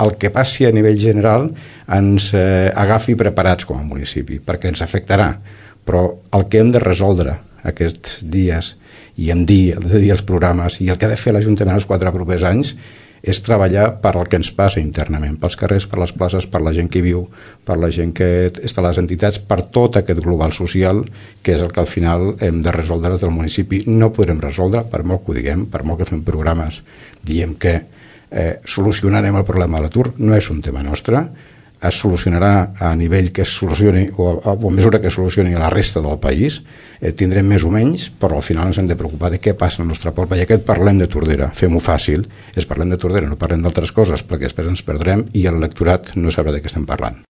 el que passi a nivell general ens agafi preparats com a municipi, perquè ens afectarà. Però el que hem de resoldre aquests dies i hem de dir els programes i el que ha de fer l'Ajuntament els 4 propers anys és treballar per al que ens passa internament, pels carrers, per les places, per la gent que hi viu, per la gent que està a les entitats, per tot aquest global social, que és el que al final hem de resoldre des del municipi. No podrem resoldre, per molt que ho diguem, per molt que fem programes, diem que solucionarem el problema de l'atur, no és un tema nostre, es solucionarà a nivell que es solucioni o a mesura que es solucioni a la resta del país, tindrem més o menys, però al final ens hem de preocupar de què passa al nostre poble. I aquest parlem de Tordera, fem-ho fàcil, parlem de Tordera, no parlem d'altres coses, perquè després ens perdrem i el lectorat no sabrà de què estem parlant.